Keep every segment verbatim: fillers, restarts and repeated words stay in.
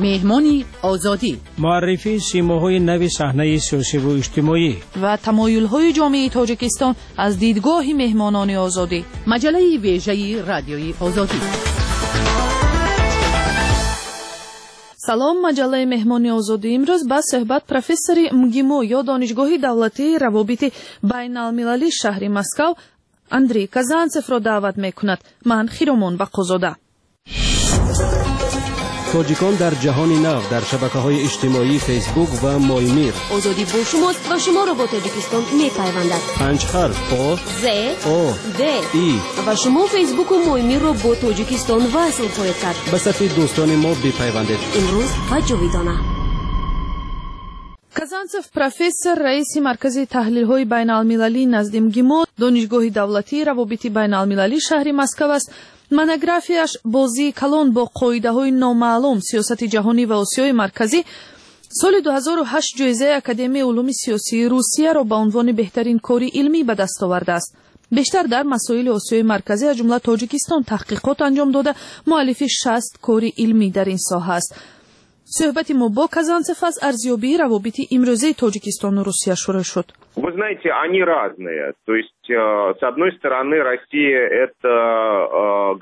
Меҳмони Озодӣ. Муаррифии симоҳои нави саҳнаи сиёсиву иҷтимоӣ ва тамоюлҳои ҷомеаи Тоҷикистон аз дидгоҳи меҳмонони Озодӣ. Маҷаллаи вежаи Радиои Озодӣ. Салом, маҷаллаи Меҳмони Озодӣ имрӯз ба суҳбат профессори МГИМО ё Донишгоҳи давлатии равобити байналмилалии шаҳри Москав Андрей Казанцевро даъват мекунад. Ман Хиромон Бақозода. Тоҷикон дар ҷаҳони нав дар шабакаҳои иҷтимоии Фейсбук ва Моймир. Озодӣ бо шумост ва шуморо бо Тоҷикистон мепайвандад. Панҷ ҳарф О З О Д И ва шумо Фейсбуку Моймирро бо Тоҷикистон васл хоҳед кард. Ба сафи дӯстони мо бипайвандед. Имрӯз ва ҷовидона. Казанцев профессор, раиси Маркази таҳлилҳои байналмилалӣ назди МГИМО, Донишгоҳи давлатии равобити байналмилалии шаҳри Москав аст. Монографияш «Бозии калон бо қоидаҳои номаълум: сиёсати ҷаҳонӣ ва Осиёи Марказӣ» соли дуҳазору ҳашт ҷоизаи Академияи улуми сиёсии Русияро ба унвони беҳтарин кори илмӣ ба даст овардааст. Бештар дар масоили Осиёи Марказӣ, аз ҷумла Тоҷикистон, таҳқиқот анҷом дода, муаллифи шаст кори илмӣ дар ин соҳа аст. Суҳбати мо бо Казанцев аз арзёбии равобити имрӯзаи Тоҷикистону Русия шурӯъ шуд. Вы знаете, они разные. То есть, с одной стороны, Россия – это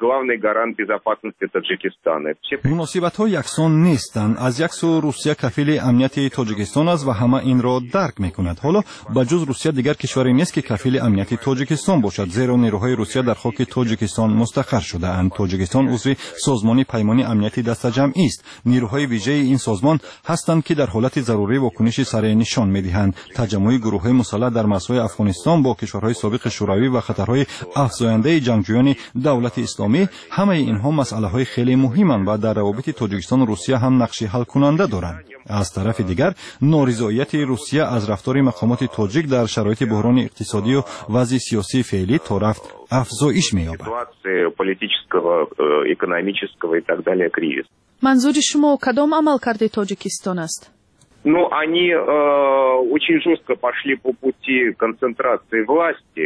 главный гарант безопасности Таджикистана. Муносибатҳо яксон нестанд. Аз як сӯ, Русия кафили амнияти Тоҷикистон аст ва ҳама инро дарк мекунад. Ҳоло ба ҷуз Русия дигар кишваре нест, ки кафили амнияти Тоҷикистон бошад, зеро нерӯҳои Русия дар хоки Тоҷикистон мустақар шудаанд. Тоҷикистон узви Созмони Паймони Амнияти Дастаҷамъист. Нерӯҳои вижаи ин созмон ҳастанд, ки дар ҳолати зарурӣ вокуниши сареъ нишон медиҳанд. Таҷаммуи гурӯҳҳои мусаллаҳ дар марзҳои Афғонистон бо кишварҳои собиқи Шӯравӣ ва хатарҳои афзояндаи ҷангҷӯёни Давлати Исломӣ, ҳамаи инҳо масъалаҳои хеле муҳиманд ва дар равобити Тоҷикистону Русия ҳам нақши ҳалкунанда доранд. Аз тарафи дигар, норизоияти Русия аз рафтори мақомоти тоҷик дар шароити буҳрони иқтисодию вазъи сиёсии феълӣ то рафт афзоиш меёбад. Манзури шумо кадом амалкарди Тоҷикистон аст? Ну, они э, очень жестко пошли по пути концентрации власти,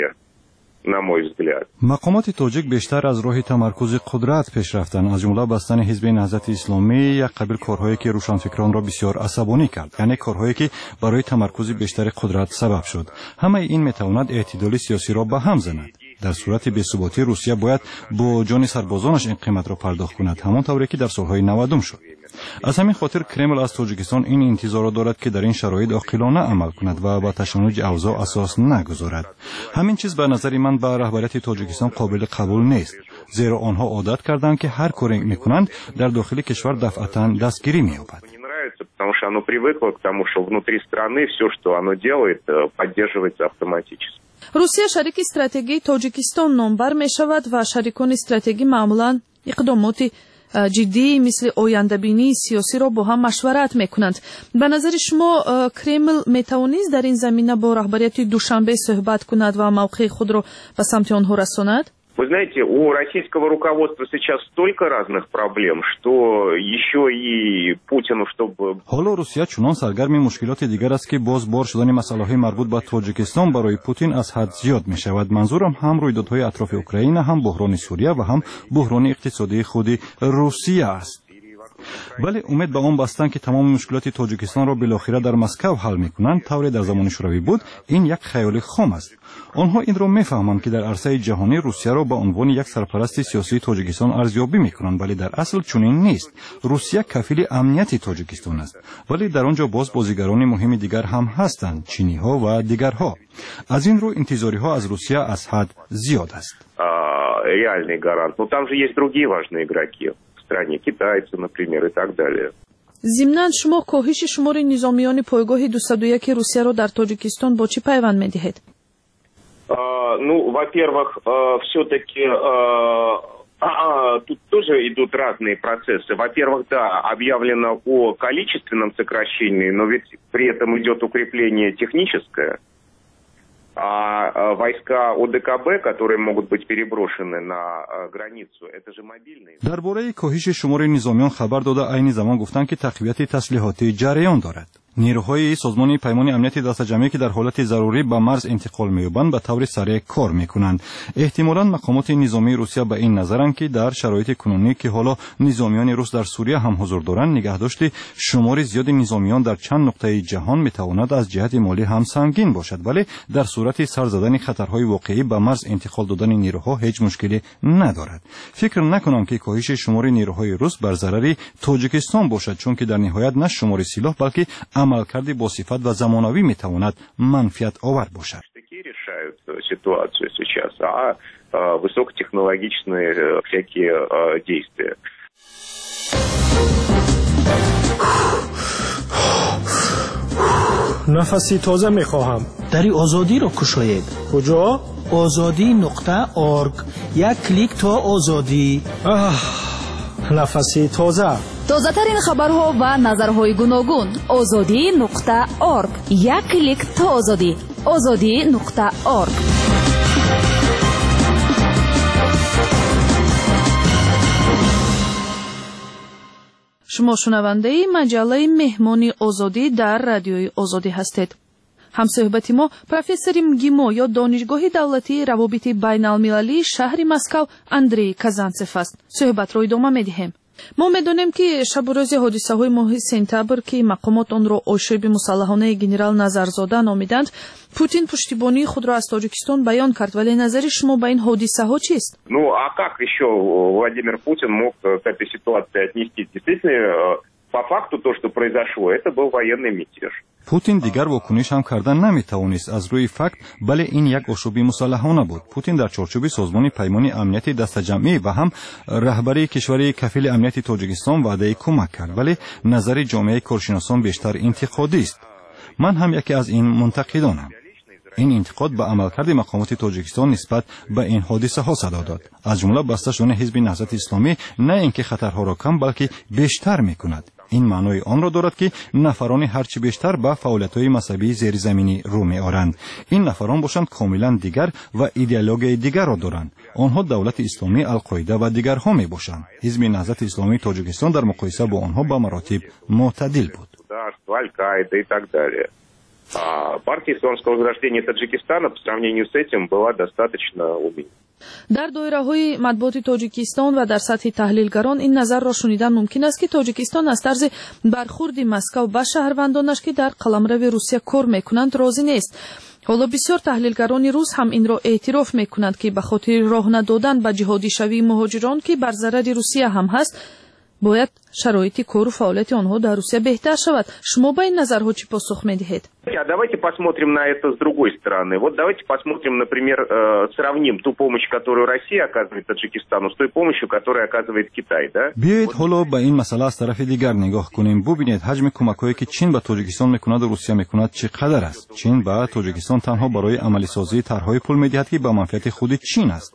на мой взгляд. Мақомоти тоҷик бештар аз роҳи тамаркузи қудрат пеш рафтанд, аз ҷумла бастани Ҳизби Наҳзати Исломӣ, як қабил корҳое, ки рӯшанфикронро бисёр асабонӣ кард, яъне корҳое, ки барои тамаркузи бештари қудрат сабаб шуд. Ҳамаи ин метавонад эътидоли сиёсиро ба ҳам занад. Дар сурати бесуботӣ Русия бояд бо ҷони сарбозонаш ин қиматро пардохт кунад, ҳамон тавре ки дар солҳои навадум шуд. Аз ҳамин хотир Кремл аз Тоҷикистон ин интизорро дорад, ки дар ин шароит оқилона амал кунад ва ба ташаннуҷи авзоъ асос нагузорад. Ҳамин чиз ба назари ман ба раҳбарияти Тоҷикистон қобили қабул нест, зеро онҳо одат карданд, ки ҳар коре мекунанд, дар дохили кишвар дафъатан дастгирӣ меёбад. Потому что оно привыкло к тому, что внутри страны все, что оно делает, поддерживается автоматически. Русия шарики стратегии Тоҷикистон номбар мешавад ва шарикони стратегӣ маъмулан иқдомоти ҷиддӣ мисли ояндабинии сиёсиро бо ҳам машварат мекунанд. Ба назари шумо, Кремл метавонист дар ин замина бо раҳбарияти Душанбе суҳбат кунад ва мавқеи худро ба самти онҳо расонад? Вы знаете, у российского руководства сейчас столько разных проблем, что еще и Путину, чтобы... Ҳоло Русия чунон саргарми мушкилоти дигар аст, ки боз бор шудани масъалаҳои марбут ба Тоҷикистон барои Путин аз ҳад зиёд мешавад. Манзурам ҳам рӯйдодҳои атрофи Украина, ҳам буҳрони Сурия ва ҳам буҳрони иқтисодии худи Русия аст. Вале умед ба он бастанд, ки тамоми мушкилоти Тоҷикистонро билохира дар Москав ҳал мекунанд, тавре дар замони Шӯравӣ буд, ин як хаёли хом аст. Онҳо инро мефаҳманд, ки дар арсаи ҷаҳонӣ Русияро ба унвони як сарпарасти сиёсии Тоҷикистон арзёбӣ мекунанд, вале дар асл чунин нест. Русия кафили амнияти Тоҷикистон аст, вале дар он ҷо боз бозигарони муҳими дигар ҳам ҳастанд, чиниҳо ва дигарҳо. Аз ин рӯ интизориҳо аз Русия аз ҳад зиёд аст. Реальный гарант. Но там же есть другие важные игроки в стране, китайцы, например, и так далее. Зимнан, шумо коҳиши шумори низомиёни пойгоҳи дусаду яки Русияро дар Тоҷикистон бо чӣ пайванд медиҳед? Ну, во-первых, все-таки тут тоже идут разные процессы. Во-первых, да, объявлено о количественном сокращении, но ведь при этом идет укрепление техническое. А войска О Д К Б, которые могут быть переброшены на границу, это же мобильные. Дар бораи коҳиши шумори низомиён хабар дода, айни замон гуфтанд, ки тақвияти таслиҳотӣ ҷараён дорад. Нерӯҳои созмони Паймони Амнияти Дастаҷамъӣ, ки дар ҳолати зарурӣ ба марз интиқол меёбанд, ба таври сареъ кор мекунанд. Эҳтимолан мақомоти низомии Русия ба ин назаранд, ки дар шароити кунунӣ, ки ҳоло низомиёни рус дар Сурия ҳам ҳузур доранд, нигаҳдошти шумори зиёди низомиён дар чанд нуқтаи ҷаҳон метавонад аз ҷиҳати молӣ ҳам сангин бошад, вале дар сурати сар задани хатарҳои воқеӣ ба марз интиқол додани нерӯҳо ҳеҷ мушкиле надорад. Фикр накунам, ки коҳиши шумори нерӯҳои рус бар зарари Тоҷикистон бошад, чунки дар ниҳоят на шумори силоҳ, балки амалкарди босифат ва замонавӣ метавонад манфиатовар бошад. Решают ситуацию сейчас, а высокотехнологичные всякие действия. Нафаси тоза мехоҳам. Дари Озодиро кушоед. Куҷо? Озодӣ нуқта орг. Як клик то озодӣ. Аҳ, нафаси тоза. Тозатарин хабарҳо ва назарҳои гуногун. Озодӣ нуқта орг. Як клик то озодӣ. Озодӣ нуқта орг. Шумо шунавандаи маҷаллаи Меҳмони Озодӣ дар Радиои Озодӣ ҳастед. Ҳамсӯҳбати мо профессори МГИМО ё Донишгоҳи давлатии равобити байналмилалии шаҳри Москав Андрей Казанцев аст. Суҳбатро идома медиҳем. Мо медонем, ки шабу рӯзи ҳодисаҳои моҳи сентябр, ки мақомот онро ошӯби мусаллаҳонаи генерал Назарзода номиданд, Путин пуштибонии худро аз Тоҷикистон баён кард, вале назари шумо ба ин ҳодисаҳо чист? Ну, а как еще Владимир Путин мог к этой ситуации отнестись? Действительно, по факту то, что произошло, это был военный мятеж. Путин дигар вокуниш ҳам карда наметавонист аз рӯи факт, бале, ин як ошӯби мусаллаҳона буд. Путин дар чорчӯби созмони Паймони Амнияти Дастаҷамъӣ ва ҳам раҳбарии кишвари кафили амнияти Тоҷикистон ваъдаи кӯмак кард, вале назари ҷомеаи коршиносон бештар интиқодист. Ман ҳам яке аз ин мунтақидонам. Ин интиқод ба амалкарди мақомоти Тоҷикистон нисбат ба ин ҳодисаҳо садо дод, аз ҷумла баста шудани ҳизби Наҳзати Исломӣ на ин ки хатарҳоро кам, балки бештар мекунад. Ин маънои онро дорад, ки нафарони ҳарчи бештар ба фаъолиятҳои мазҳабии зеризаминӣ рӯ меоранд. Ин нафарон бошанд комилан дигар ва идеологияи дигарро доранд. Онҳо Давлати Исломӣ, Алқоида ва дигарҳо мебошанд. Ҳизби Наҳзати Исломии Тоҷикистон дар муқоиса бо онҳо ба маротиб мӯътадил буд. Аль-Каида и так далее. А партия Исламского возрождения Таджикистана по сравнению с этим была достаточно умеренной. Дар доираҳои матбуоти Тоҷикистон ва дар сатҳи таҳлилгарон ин назарро шунидан мумкин аст, ки Тоҷикистон аз тарзи бархурди Москав ба шаҳрвандонаш, ки дар қаламрави Русия кор мекунанд, розӣ нест. Ҳоло бисёр таҳлилгарони рус ҳам инро эътироф мекунанд, ки ба хотири роҳ надодан ба ҷиҳодишавии муҳоҷирон, ки бар зарари Русия ҳам ҳаст, бояд шароити кору фаъолияти онҳо дар Русия беҳтар шавад. Шумо ба ин назарҳо чӣ посух медиҳед? А давайте посмотрим на это с другой стороны. Вот давайте посмотрим, например, сравним ту помощь, которую Россия оказывает Таджикистану, с той помощью, которую оказывает Китай, да? Биёед ҳоло ба ин масъала аз тарафи дигар нигоҳ кунем. Бубинед, ҳаҷми кӯмакҳое, ки Чин ба Тоҷикистон мекунад ва Русия мекунад, чӣ қадар аст. Чин ба Тоҷикистон танҳо барои амалисозии тарҳҳои пул медиҳад, ки ба манфиати худи Чин аст.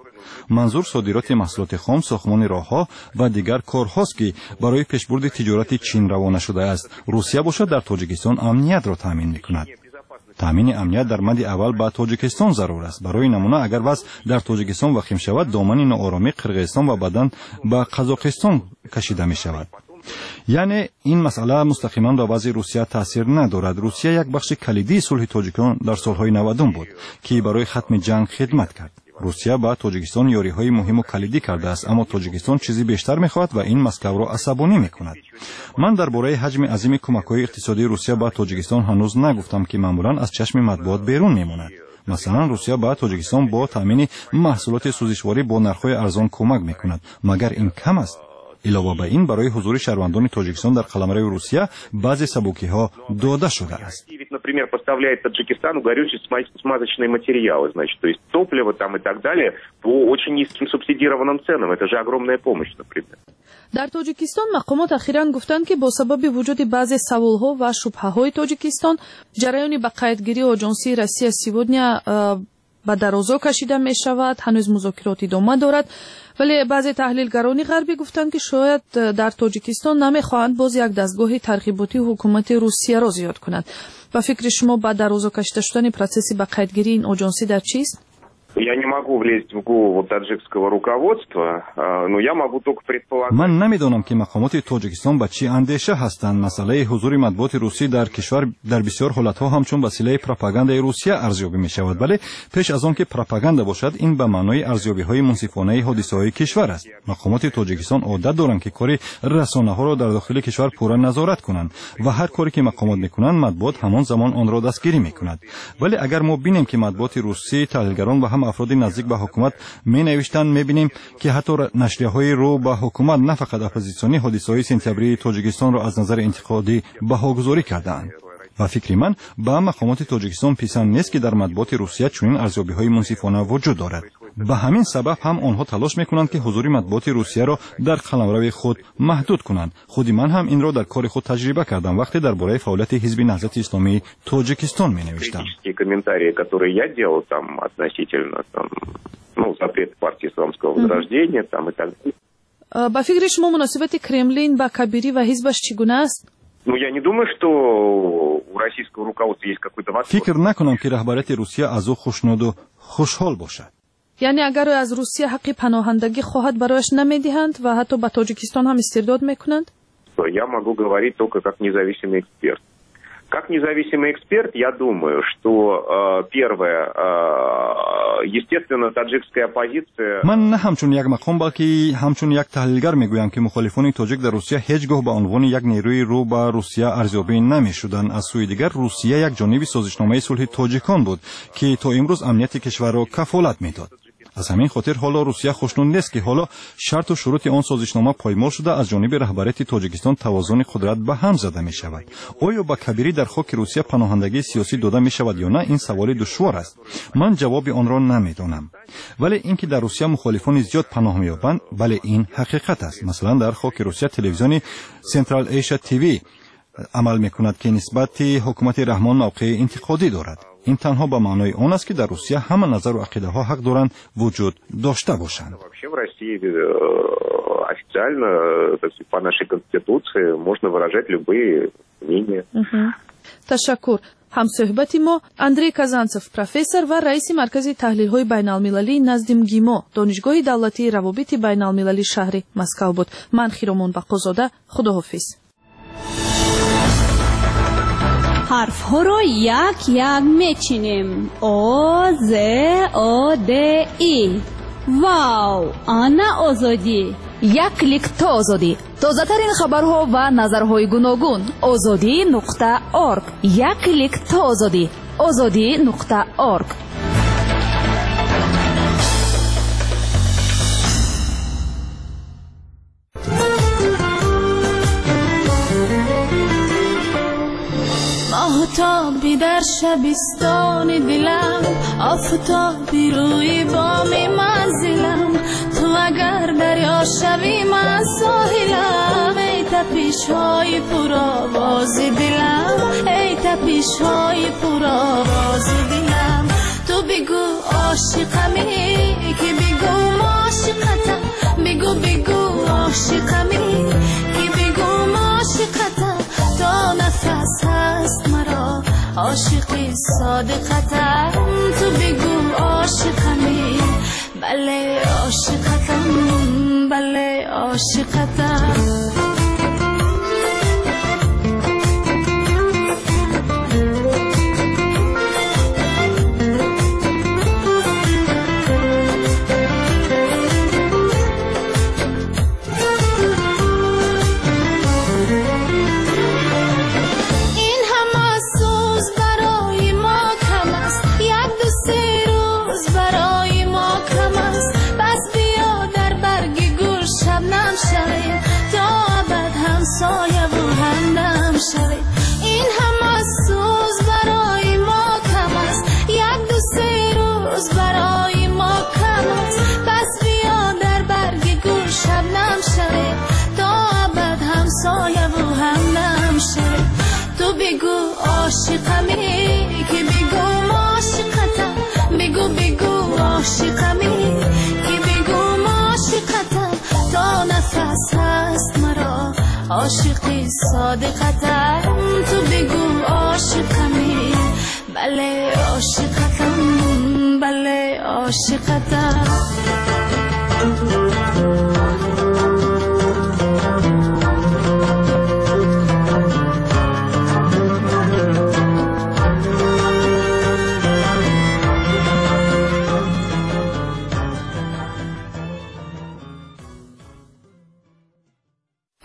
Манзур содироти маҳсулоти хом, сохтмони роҳҳо ва дигар корҳост, ки барои пешбурди тиҷорати Чин равона шудааст. Русия бошад дар Тоҷикистон амниятро таъмин мекунад. Таъмини амният дар мадди аввал ба Тоҷикистон зарур аст. Барои намуна, агар вазъ дар Тоҷикистон вахим шавад, домани ноороми Қирғизистон ва баъдан ба Қазоқистон кашида мешавад. Яъне ин масъала мустақиман ба вазъи Русия таъсир надорад. Русия як бахши калидии сулҳи тоҷикон дар солҳои навадум буд, ки барои хатми ҷанг хидмат кард. Русия ба Тоҷикистон ёриҳои муҳиму калидӣ кардааст, аммо Тоҷикистон чизи бештар мехоҳад ва ин Москавро асабонӣ мекунад. Ман дар бораи ҳаҷми азими кӯмакҳои иқтисодии Русия ба Тоҷикистон ҳанӯз нагуфтам, ки маъмулан аз чашми матбуот берун мемонад. Масалан, Русия ба Тоҷикистон бо таъмини маҳсулоти сӯзишворӣ бо нархҳои арзон кӯмак мекунад. Магар ин кам аст? Илова ба ин, барои ҳузури шаҳрвандони Тоҷикистон дар қаламрави Русия баъзе сабукиҳо дода шудааст. Например, поставляет Таджикистану горючие смазочные материалы, значит, то есть топливо там и так далее по очень низким субсидированным ценам. Это же огромная помощь, например. Дар Тоҷикистон мақомот ахиран гуфтанд, ки бо сабаби вуҷуди баъзе саволҳо ва шубҳаҳои Тоҷикистон ҷараёни ба қайдгирии оҷонсии Россия сегодня ба дарозо кашида мешавад, ҳанӯз музокирот идома дорад. Вале баъзе таҳлилгарони ғарбӣ гуфтанд, ки шояд дар Тоҷикистон намехоҳанд боз як дастгоҳи тарғиботии ҳукумати Русияро зиёд кунанд. Ба фикри шумо, ба дарозо кашида шудани процесси ба қайдгирии ин оҷонсӣ дар чист? Я не могу влезть в голову таджикского руководства, но я могу только предполагать. Ман намедонам, ки мақомоти Тоҷикистон ба чӣ андеша ҳастанд. Масъалаи ҳузури матбуоти русӣ дар кишвар дар бисёр ҳолатҳо ҳамчун василаи пропагандаи Русия арзёбӣ мешавад. Вале пеш аз он ки пропаганда бошад, ин ба маънои арзёбиҳои мунсифонаи ҳодисаҳои кишвар аст. Мақомоти Тоҷикистон одат доранд, ки кори расонаҳоро дар дохили кишвар пурра назорат кунанд ва ҳар коре ки мақомот мекунанд, матбуот ҳамон замон онро дастгирӣ мекунад. Вале агар мо бинем, ки матбуоти русӣ, таҳлилгарон ва ҳам афроди наздик ба ҳукумат менавиштанд, мебинем, ки ҳатто нашрияҳои рӯ ба ҳукумат, на фақат оппозитсионӣ, ҳодисаҳои сентябрии Тоҷикистонро аз назари интиқодӣ баҳогузорӣ кардаанд. Ба фикри ман, ба мақомоти Тоҷикистон писанд нест, ки дар матбуоти Русия чунин арзёбиҳои мунсифона вуҷуд дорад. Ба ҳамин сабаб ҳам онҳо талош мекунанд, ки ҳузури матбуоти Русияро дар қаламрави худ маҳдуд кунанд. Худи ман ҳам инро дар кори худ таҷриба кардам, вақте дар бораи фаъолияти ҳизби Наҳзати Исломии Тоҷикистон менавиштам. Комментарии, которые я делал там относительно там, ну, запрет партии Исламского возрождения там и так далее. Ба фикри шумо, муносибати Кремлин ба Кабирӣ ва ҳизбаш чӣ гуна аст? Ну, я не думаю, что у российского руководства есть какой-то восторг. Фикр накунам, ки раҳбарияти Русия аз ӯ хушнуду хушҳол бошад. Яъне агар ӯ аз Русия ҳаққи паноҳандагӣ хоҳад, барояш намедиҳанд ва ҳатто ба Тоҷикистон ҳам истирдод мекунанд? Я могу говорить только как независимый эксперт. Как независимый эксперт, я думаю, что э, первое, э, естественно, таджикская оппозиция... Ман на ҳамчун як мақом, балки ҳамчун як таҳлилгар мегӯям, ки мухолифони тоҷик дар Русия ҳеҷ гоҳ ба унвони як нерӯи рӯ ба Русия арзёбӣ намешуданд. Аз сӯи дигар, Русия як ҷониби созишномаи сулҳи тоҷикон буд, ки то имрӯз амнияти кишварро кафолат медод. Аз ҳамин хотир ҳоло Русия хушнуд нест, ки ҳоло шарту шурути он созишнома поймол шуда, аз ҷониби раҳбарияти Тоҷикистон тавозуни қудрат ба ҳам зада мешавад. Оё ба Кабирӣ дар хоки Русия паноҳандагии сиёсӣ дода мешавад ё на, ин саволи душвор аст. Ман ҷавоби онро намедонам. Вале ин ки дар Русия мухолифони зиёд паноҳ меёбанд, бале, ин ҳақиқат аст. Масалан, дар хоки Русия телевизиони Централ Эйша ТВ амал мекунад, ки нисбати ҳукумати Раҳмон мавқеи интиқодӣ дорад. Ин танҳо ба маънои он аст, ки дар Русия ҳама назару ақидаҳо ҳақ доранд вуҷуд дошта бошанд. Вообще в России официально, по нашей конституции, можно выражать любые мнения. Ташаккур. Ҳамсӯҳбати мо Андрей Казанцев, профессор ва раиси Маркази таҳлилҳои байналмилалии назди МГИМО, Донишгоҳи давлатии равобити байналмилалии шаҳри Москав буд. Ман Хиромон Бақозода, худоҳофиз. Ҳарфҳоро як-як мечинем. О, З, О, Д, И. Вау! Ана озодӣ! Як клик то озодӣ. Тозатарин хабарҳо ва назарҳои гуногун. Озодӣ нуқта орг. Як клик то озодӣ. Озодӣ нуқта орг. Офтоби дар шабистони дилам, офтоби рӯи боми манзилам, ту агар дарё шавӣ, ман соҳилам. Эй тапишҳои пуровози дилам, эй тапишҳои пуровози дилам, ту бигӯ ошиқамӣ, ки бигӯ ошиқатам, бигӯ бигӯ ошиқамӣ, ки бигӯ ошиқатам, то нафас ҳаст маро ошиқи содиқатам, ту бигӯ ошиқамӣ, бале ошиқатам, бале ошиқатам. Ин ҳама сӯз барои мо кам аст, як ду се рӯз барои мо кам аст, пас биё дар барги гул шабнам шавем, то абад ҳамсояву ҳамдам шавем. Ту бигӯ ошиқамӣ, ки бигӯ ошиқатам, бигӯ бигӯ ошиқамӣ, ки бигӯ ошиқатам, то нафас ҳаст маро ошиқи содиқатам, ту бигӯ ошиқамӣ, бале ошиқатам, бале ошиқатам.